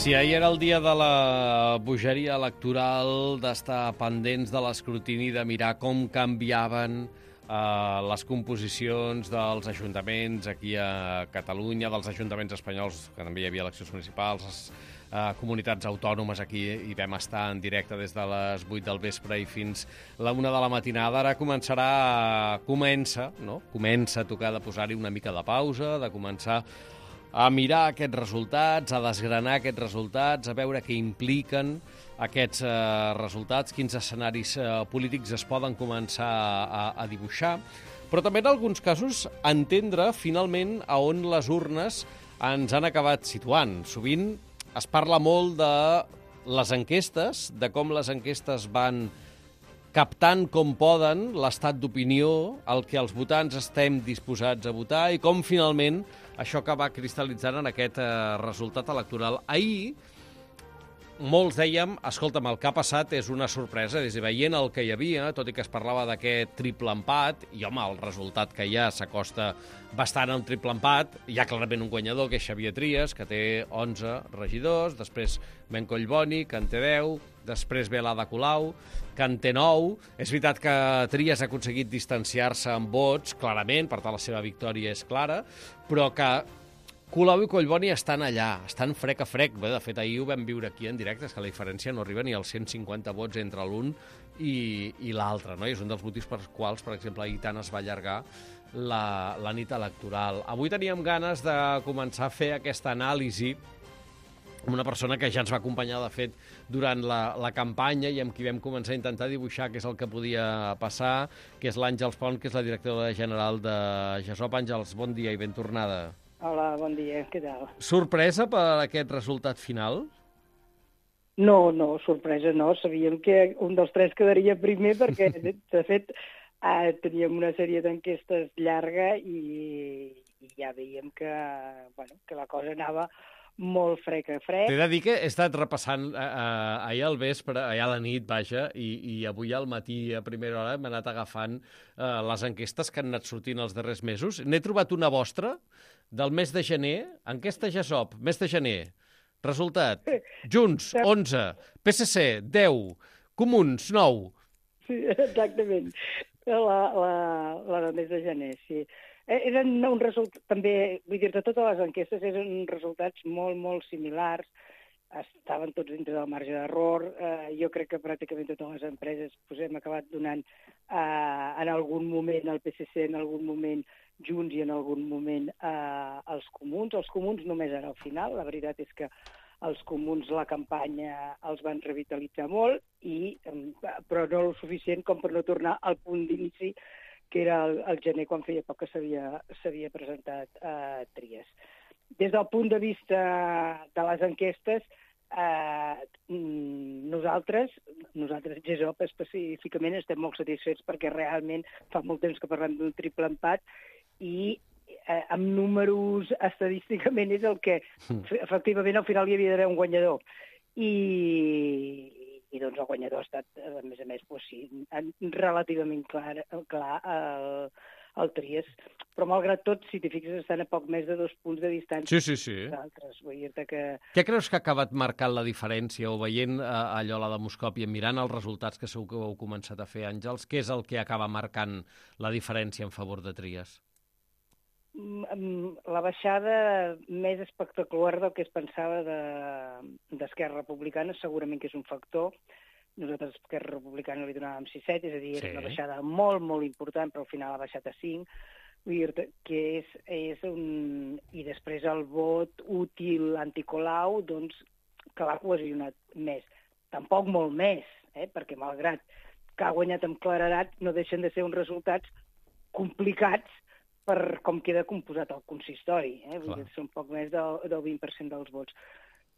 Si ahir era el dia de la bogeria electoral, d'estar pendents de l'escrutini, de mirar com canviaven les composicions dels ajuntaments aquí a Catalunya, dels ajuntaments espanyols, que també hi havia eleccions municipals, comunitats autònomes, aquí hi vam estar en directe des de les 8 del vespre i fins la 1 de la matinada. Ara comença a tocar de posar-hi una mica de pausa, de començar a mirar aquests resultats, a desgranar aquests resultats, a veure què impliquen aquests resultats, quins escenaris polítics es poden començar a dibuixar, però també en alguns casos entendre finalment a on les urnes ens han acabat situant. Sovint es parla molt de les enquestes, de com les enquestes van captant com poden l'estat d'opinió, el que els votants estem disposats a votar i com finalment això acaba cristal·litzant en aquest resultat electoral. Ahir molts dèiem, escolta'm, el que ha passat és una sorpresa, és a dir, veient el que hi havia, tot i que es parlava d'aquest triple empat, i home, el resultat que hi ha s'acosta bastant a un triple empat, hi ha clarament un guanyador, que és Xavier Trias, que té 11 regidors, després Ben Collboni, que en té 10, després ve l'Ada Colau, que en té 9. És veritat que Trias ha aconseguit distanciar-se en vots, clarament, per tant la seva victòria és clara, però que Colau i Collboni estan allà, estan frec a frec. Bé, de fet, ahir ho vam viure aquí en directe, és que la diferència no arriba ni als 150 vots entre l'un i l'altre, no? I és un dels motius per quals, per exemple, ahir tant es va allargar la nit electoral. Avui teníem ganes de començar a fer aquesta anàlisi amb una persona que ja ens va acompanyar, de fet, durant la campanya i amb qui vam començar a intentar dibuixar què és el que podia passar, que és l'Àngels Pont, que és la directora general de GESOP. Àngels, bon dia i ben tornada. Hola, bon dia, què tal? Sorpresa per aquest resultat final? No, sorpresa no. Sabíem que un dels tres quedaria primer perquè, de fet, teníem una sèrie d'enquestes llarga i ja veiem que la cosa anava molt frec a frec. T'he de dir que he estat repassant ahir al vespre, ahir a la nit, vaja, i avui al matí a primera hora m'he anat agafant les enquestes que han anat sortint els darrers mesos. N'he trobat una vostra del mes de gener, enquesta GESOP, mes de gener. Resultat, Junts, 11, PSC, 10, Comuns, 9. Sí, exactament, la del mes de gener, sí. Eren un resultat, també, vull dir, de totes les enquestes eren resultats molt, molt similars, estaven tots dintre del marge d'error. Jo crec que pràcticament totes les empreses hem acabat donant en algun moment al PSC, en algun moment Junts i en algun moment els Comuns. Els Comuns només era al final, la veritat és que els Comuns la campanya els van revitalitzar molt, però no el suficient com per no tornar al punt d'inici, que era el gener, quan feia poc que s'havia presentat Trias. Des del punt de vista de les enquestes, nosaltres, GESOP específicament, estem molt satisfets perquè realment fa molt temps que parlem d'un triple empat i amb números estadísticament és el que efectivament al final hi havia d'haver un guanyador. I doncs el guanyador ha estat, a més, relativament clar el Trias. Però malgrat tot, si t'hi fixes, estan a poc més de 2 punts de distància. Sí. D'altres. Vull dir-te que... Què creus que ha acabat marcant la diferència, o veient allò a la demoscòpia, mirant els resultats que segur que heu començat a fer, Àngels, què és el que acaba marcant la diferència en favor de Trias? La baixada més espectacular del que es pensava d'Esquerra Republicana segurament que és un factor. Nosaltres a Esquerra Republicana li donàvem 6,7, és a dir, era una baixada molt, molt important, però al final ha baixat a 5. Vull dir que és un... I després el vot útil anticolau, doncs, que l'ha cohesionat més. Tampoc molt més, perquè malgrat que ha guanyat amb claredat, no deixen de ser uns resultats complicats per com queda composat el consistori. Vull dir, són poc més del 20% dels vots.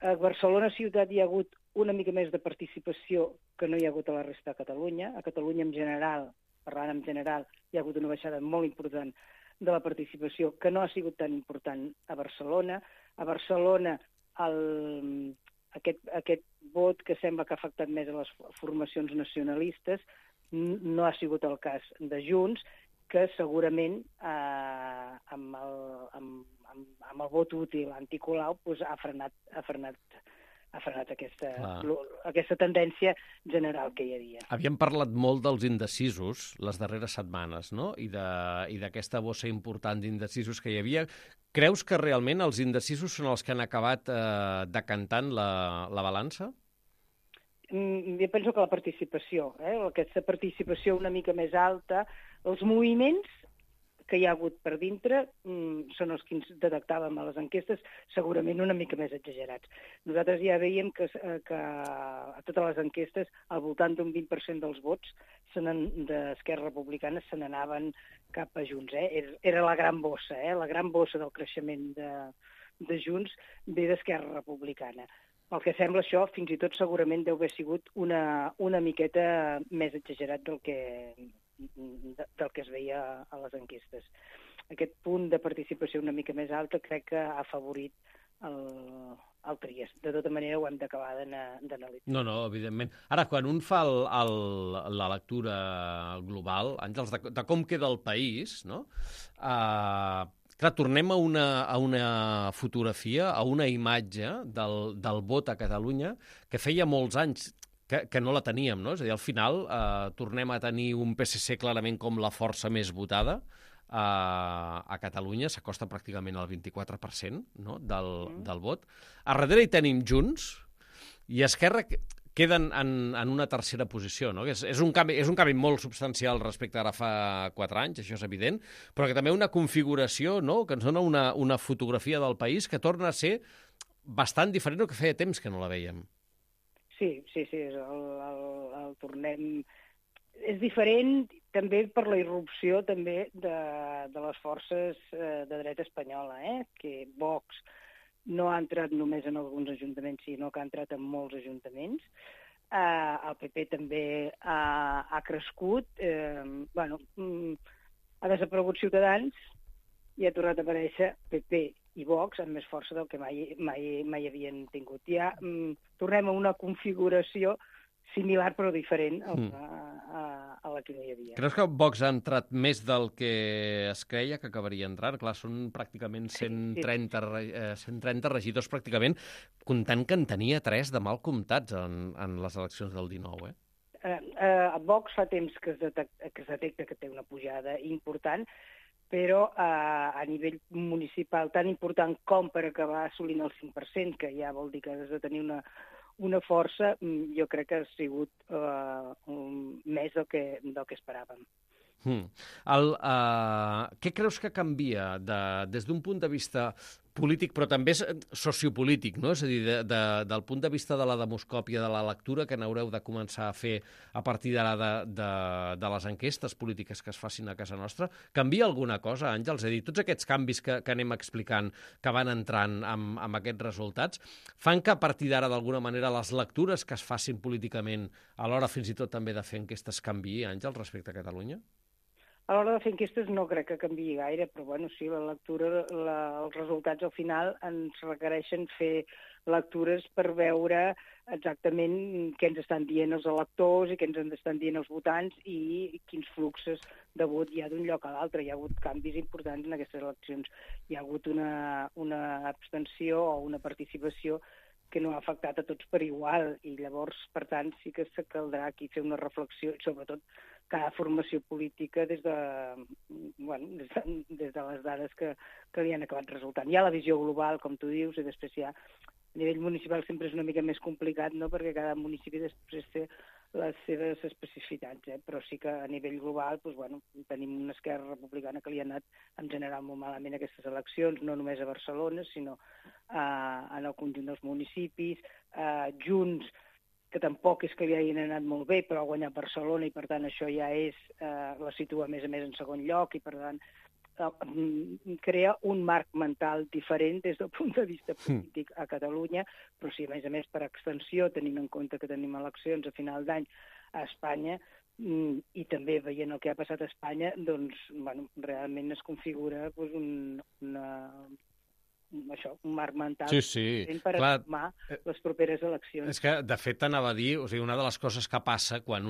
A Barcelona ciutat hi ha hagut una mica més de participació que no hi ha hagut a la resta de Catalunya. A Catalunya en general, parlant en general, hi ha hagut una baixada molt important de la participació que no ha sigut tan important a Barcelona. A Barcelona aquest vot que sembla que ha afectat més a les formacions nacionalistes no ha sigut el cas de Junts, que segurament amb el vot útil anticolau ha frenat ha frenat aquesta tendència general que hi havia. Havíem parlat molt dels indecisos les darreres setmanes, no? I d'aquesta bossa important d'indecisos que hi havia. Creus que realment els indecisos són els que han acabat decantant la balança? Jo penso que la participació, aquesta participació una mica més alta, els moviments que hi ha hagut per dintre són els que ens detectàvem a les enquestes, segurament una mica més exagerats. Nosaltres ja veiem que a totes les enquestes al voltant d'un 20% dels vots d'Esquerra Republicana se n'anaven cap a Junts. Era la gran bossa, la gran bossa del creixement de Junts ve d'Esquerra Republicana. Pel que sembla això, fins i tot segurament deu haver sigut una miqueta més exagerat del que es veia a les enquestes. Aquest punt de participació una mica més alta crec que ha afavorit el Trias. De tota manera ho hem d'acabar d'analitzar. No, evidentment. Ara, quan un fa la lectura global, Àngels, de com queda el país, no? Clar, tornem a una fotografia, a una imatge del vot a Catalunya que feia molts anys que no la teníem, no? És a dir, al final tornem a tenir un PSC clarament com la força més votada a Catalunya, s'acosta pràcticament al 24%, no? del vot. A darrere hi tenim Junts i Esquerra queden en una tercera posició, no? És un canvi molt substancial respecte a ara fa 4 anys, això és evident, però que també una configuració, no? Que ens dona una fotografia del país que torna a ser bastant diferent del que feia temps que no la vèiem. Sí, el tornem... És diferent també per la irrupció també de les forces de dreta espanyola, que Vox no ha entrat només en alguns ajuntaments, sinó que ha entrat en molts ajuntaments. El PP també ha crescut. Ha desaparegut Ciutadans i ha tornat a aparèixer PP i Vox amb més força del que mai havien tingut. Ja tornem a una configuració similar però diferent a la que no hi havia. Creus que Vox ha entrat més del que es creia que acabaria entrant? Clar, són pràcticament 130 regidors pràcticament, comptant que en tenia 3 de mal comptats en les eleccions del 19, A Vox fa temps que es detecta que té una pujada important, però a nivell municipal tan important com per acabar assolint el 5%, que ja vol dir que has de tenir una força, jo crec que ha sigut més del que esperàvem. Què creus que canvia des d'un punt de vista polític, però també sociopolític, no? És a dir, del punt de vista de la demoscòpia, de la lectura que n'haureu de començar a fer a partir d'ara de les enquestes polítiques que es facin a casa nostra? Canvia alguna cosa, Àngels? És a dir, tots aquests canvis que anem explicant, que van entrant amb aquests resultats, fan que a partir d'ara, d'alguna manera, les lectures que es facin políticament, a l'hora fins i tot també de fer enquestes, canviï, Àngels, respecte a Catalunya? A l'hora de fer enquestes no crec que canviï gaire, però sí, la lectura, els resultats al final ens requereixen fer lectures per veure exactament què ens estan dient els electors i què ens estan dient els votants i quins fluxos de vot hi ha d'un lloc a l'altre. Hi ha hagut canvis importants en aquestes eleccions. Hi ha hagut una abstenció o una participació que no ha afectat a tots per igual, i llavors, per tant, sí que caldrà aquí fer una reflexió, sobretot cada formació política des de les dades que li han acabat resultant. Hi ha la visió global, com tu dius, i després hi ha a nivell municipal sempre és una mica més complicat, no?, perquè cada municipi després té les seves especificitats, però sí que a nivell global tenim una Esquerra Republicana que li ha anat en general molt malament aquestes eleccions, no només a Barcelona, sinó en el conjunt dels municipis. Junts, que tampoc és que li hagin anat molt bé, però ha guanyat Barcelona i per tant això ja la situa a més en segon lloc i per tant crea un marc mental diferent des del punt de vista polític a Catalunya, però sí, a més per extensió, tenint en compte que tenim eleccions a final d'any a Espanya, i també veient el que ha passat a Espanya, doncs, realment es configura un marc mental per afirmar les properes eleccions. És que, de fet, t'anava a dir, o sigui, una de les coses que passa quan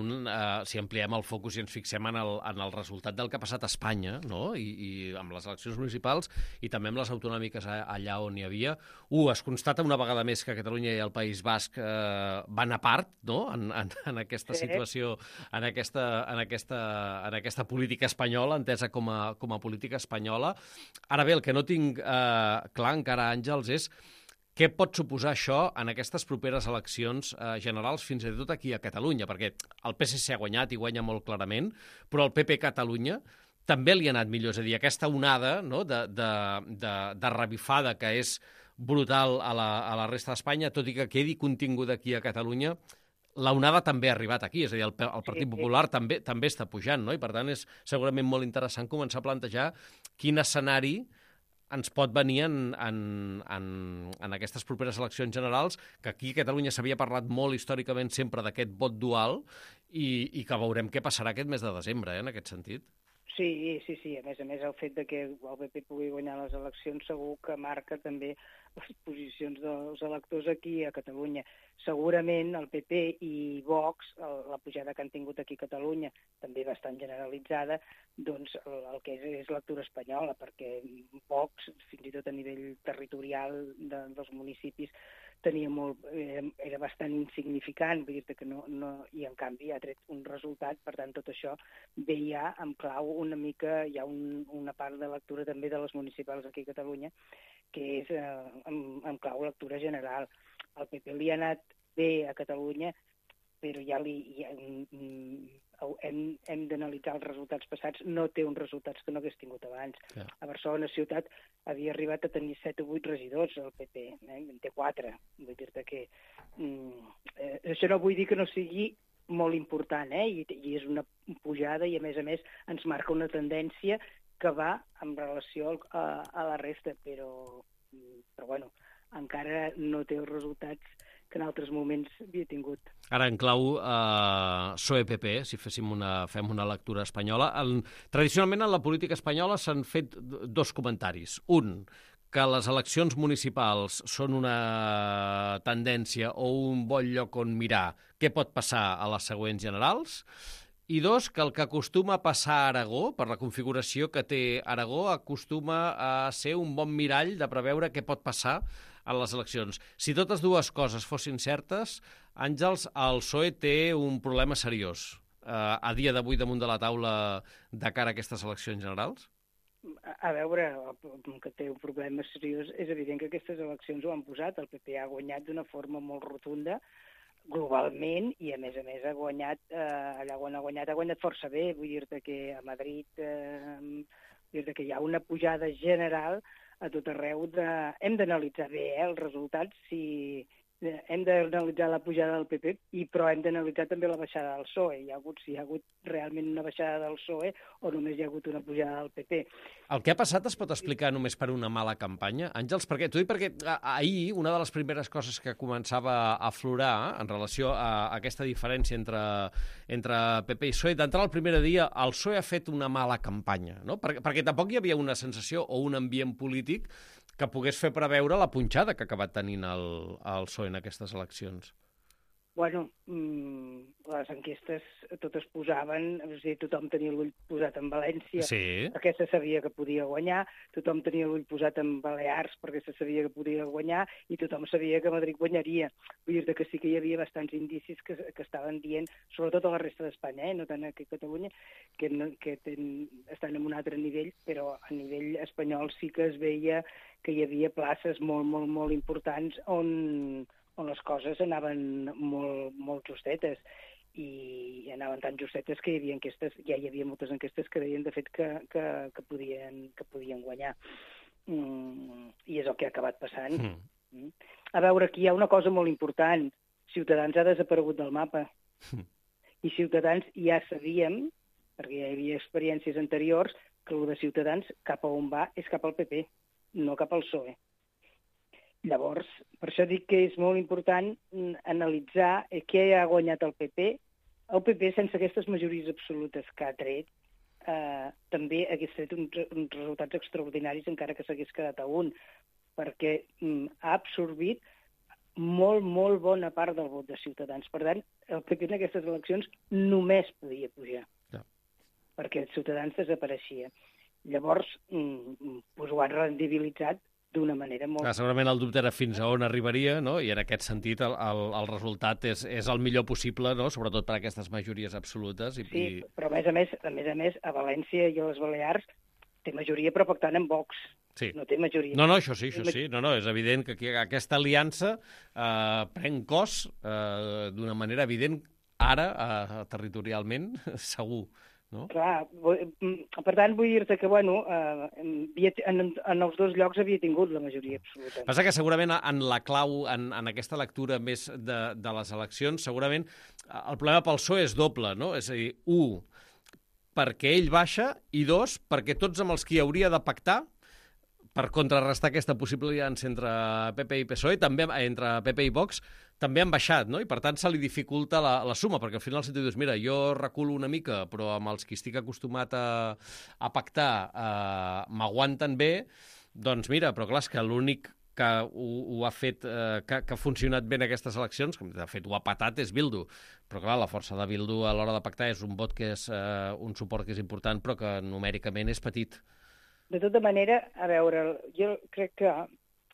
si ampliem el focus i ens fixem en el resultat del que ha passat a Espanya, no? I amb les eleccions municipals i també amb les autonòmiques allà on hi havia, es constata una vegada més que Catalunya i el País Basc van a part, no?, en aquesta situació, en aquesta política espanyola, entesa com a política espanyola. Ara bé, el que no tinc clar encara, Àngels, és què pot suposar això en aquestes properes eleccions generals, fins i tot aquí a Catalunya, perquè el PSC ha guanyat i guanya molt clarament, però el PP Catalunya també li ha anat millor, és a dir, aquesta onada, no?, de revifada que és brutal a la resta d'Espanya, tot i que quedi contingut aquí a Catalunya, la onada també ha arribat aquí, és a dir, el Partit Popular també està pujant, no? I per tant és segurament molt interessant començar a plantejar quin escenari ens pot venir en aquestes properes eleccions generals, que aquí a Catalunya s'havia parlat molt històricament sempre d'aquest vot dual i que veurem què passarà aquest mes de desembre, en aquest sentit. Sí. A més, el fet de que el PP pugui guanyar les eleccions segur que marca també les posicions dels electors aquí a Catalunya. Segurament el PP i Vox, la pujada que han tingut aquí a Catalunya, també bastant generalitzada, doncs el que és lectura espanyola, perquè Vox, fins i tot a nivell territorial dels municipis, era bastant insignificant, vull dir que no, i en canvi ha tret un resultat, per tant tot això ve ja en clau una mica, hi ha una part de lectura també de les municipals aquí a Catalunya, que és en clau lectura general. Al PP li ha anat bé a Catalunya, però ja hem d'analitzar els resultats passats, no té uns resultats que no hagués tingut abans. Ja. A Barcelona ciutat havia arribat a tenir 7 o 8 regidors, el PP, en té 4. Vull dir-te que això no vull dir que no sigui molt important, i és una pujada i a més ens marca una tendència que va en relació a la resta, però bueno, encara no té els resultats que en altres moments havia tingut. Ara, en clau PSOE-PP, si fem una lectura espanyola, tradicionalment en la política espanyola s'han fet dos comentaris. Un, que les eleccions municipals són una tendència o un bon lloc on mirar què pot passar a les següents generals, i dos, que el que acostuma a passar a Aragó, per la configuració que té Aragó, acostuma a ser un bon mirall de preveure què pot passar a les eleccions. Si totes dues coses fossin certes, Àngels, el PSOE té un problema seriós a dia d'avui damunt de la taula de cara a aquestes eleccions generals? A veure, que té un problema seriós, és evident que aquestes eleccions ho han posat. El PP ha guanyat d'una forma molt rotunda, globalment, i a més ha guanyat, allà on ha guanyat força bé. Vull dir-te que a Madrid hi ha una pujada general a tot arreu. Hem d'analitzar bé els resultats, hem d'analitzar la pujada del PP, però hem d'analitzar també la baixada del PSOE. Si hi ha hagut realment una baixada del PSOE o només hi ha hagut una pujada del PP. El que ha passat es pot explicar només per una mala campanya? Àngels, t'ho dic perquè ahir una de les primeres coses que començava a aflorar en relació a aquesta diferència entre PP i PSOE, d'entrada el primer dia el PSOE ha fet una mala campanya, no? Perquè tampoc hi havia una sensació o un ambient polític que pogués fer preveure la punxada que ha acabat tenint el PSOE en aquestes eleccions. Bueno, les enquestes totes posaven, tothom tenia l'ull posat en València, sí, perquè se sabia que podia guanyar, tothom tenia l'ull posat en Balears perquè se sabia que podia guanyar i tothom sabia que Madrid guanyaria. Vull dir que sí que hi havia bastants indicis que estaven dient, sobretot a la resta d'Espanya, no tant aquí a Catalunya, que estan en un altre nivell, però a nivell espanyol sí que es veia que hi havia places molt, molt, molt importants on les coses anaven molt justetes, i anaven tan justetes que ja hi havia moltes enquestes que deien, de fet, que podien guanyar. I és el que ha acabat passant. A veure, aquí hi ha una cosa molt important. Ciutadans ha desaparegut del mapa. I Ciutadans ja sabíem, perquè ja hi havia experiències anteriors, que el de Ciutadans cap a on va és cap al PP, no cap al PSOE. Llavors, per això dic que és molt important analitzar què ha guanyat el PP. El PP, sense aquestes majories absolutes que ha tret, també hagués tret uns resultats extraordinaris encara que s'hagués quedat a un, perquè ha absorbit molt, molt bona part del vot de Ciutadans. Per tant, el PP en aquestes eleccions només podia pujar, perquè Ciutadans desapareixia. Llavors, ho han rendibilitzat d'una manera molt... Segurament el dubte era fins a on arribaria, no? I en aquest sentit el resultat és el millor possible, no? Sobretot per a aquestes majories absolutes. Sí, però a més a més, a València i a les Balears té majoria però pactant amb Vox. Sí. No té majoria. No, això sí. No, és evident que aquesta aliança pren cos d'una manera evident ara, territorialment, segur. No? Clar, per tant, vull dir-te que, en els dos llocs havia tingut la majoria absoluta. Passa que segurament en la clau, en aquesta lectura més de les eleccions, segurament el problema pel PSOE és doble, no? És a dir, 1, perquè ell baixa, i 2, perquè tots amb els qui hauria de pactar, per contrarrestar aquesta possible aliança entre PP i PSOE, també entre PP i Vox, també han baixat, no? I per tant se li dificulta la suma, perquè al final si tu dius, mira, jo reculo una mica, però amb els qui estic acostumat a pactar m'aguanten bé, doncs mira, però clar, és que l'únic que ho ha fet, que ha funcionat bé en aquestes eleccions, que de fet ho ha patat, és Bildu. Però clar, la força de Bildu a l'hora de pactar és un vot que és un suport que és important, però que numèricament és petit. De tota manera, a veure, jo crec que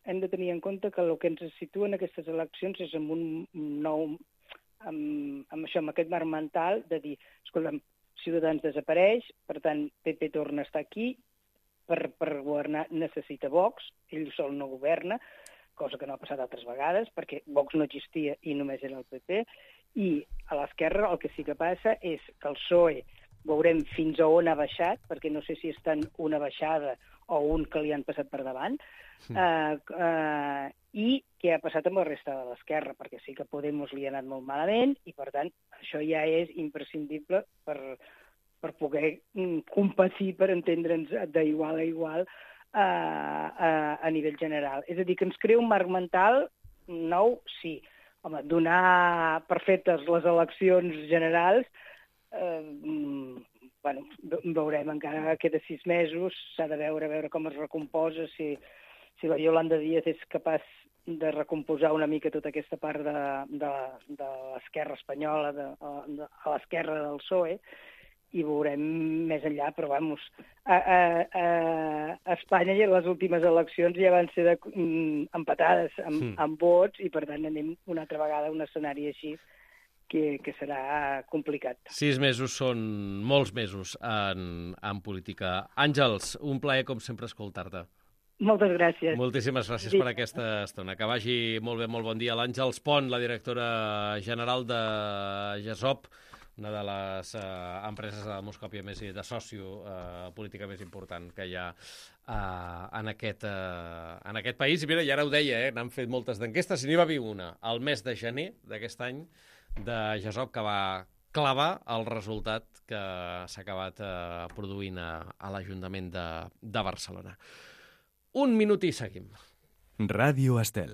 hem de tenir en compte que el que ens situa en aquestes eleccions és amb un nou, amb aquest marc mental de dir, escolta'm, Ciutadans desapareix, per tant, PP torna a estar aquí, per governar necessita Vox, ell sol no governa, cosa que no ha passat altres vegades, perquè Vox no existia i només era el PP, i a l'esquerra el que sí que passa és que el PSOE veurem fins a on ha baixat, perquè no sé si és tant una baixada o un que li han passat per davant, i què ha passat amb la resta de l'esquerra, perquè sí que Podemos li ha anat molt malament, i per tant això ja és imprescindible per poder competir, per entendre'ns d'igual a igual a nivell general. És a dir, que ens crea un marc mental nou, sí. Home, donar per fetes les eleccions generals, veurem, encara queda 6 mesos, s'ha de veure com es recomposa, si la Yolanda Díaz és capaç de recomposar una mica tota aquesta part de l'esquerra espanyola, a l'esquerra del PSOE, i veurem més enllà, però a Espanya i les últimes eleccions ja van ser empatades amb vots, i per tant anem una altra vegada a un escenari així, que serà complicat. 6 mesos són molts mesos en política. Àngels, un plaer, com sempre, escoltar-te. Moltes gràcies. Moltíssimes gràcies per aquesta estona. Que vagi molt bé, molt bon dia. L'Àngels Pont, la directora general de GESOP, una de les empreses de demoscòpia més de sòcio política més important que hi ha en aquest país. I mira, i ara ho deia, n'han fet moltes d'enquestes, i n'hi va haver una al mes de gener d'aquest any de GESOP que va clavar el resultat que s'ha acabat produint a l'Ajuntament de Barcelona. Un minut i seguim. Ràdio Estel.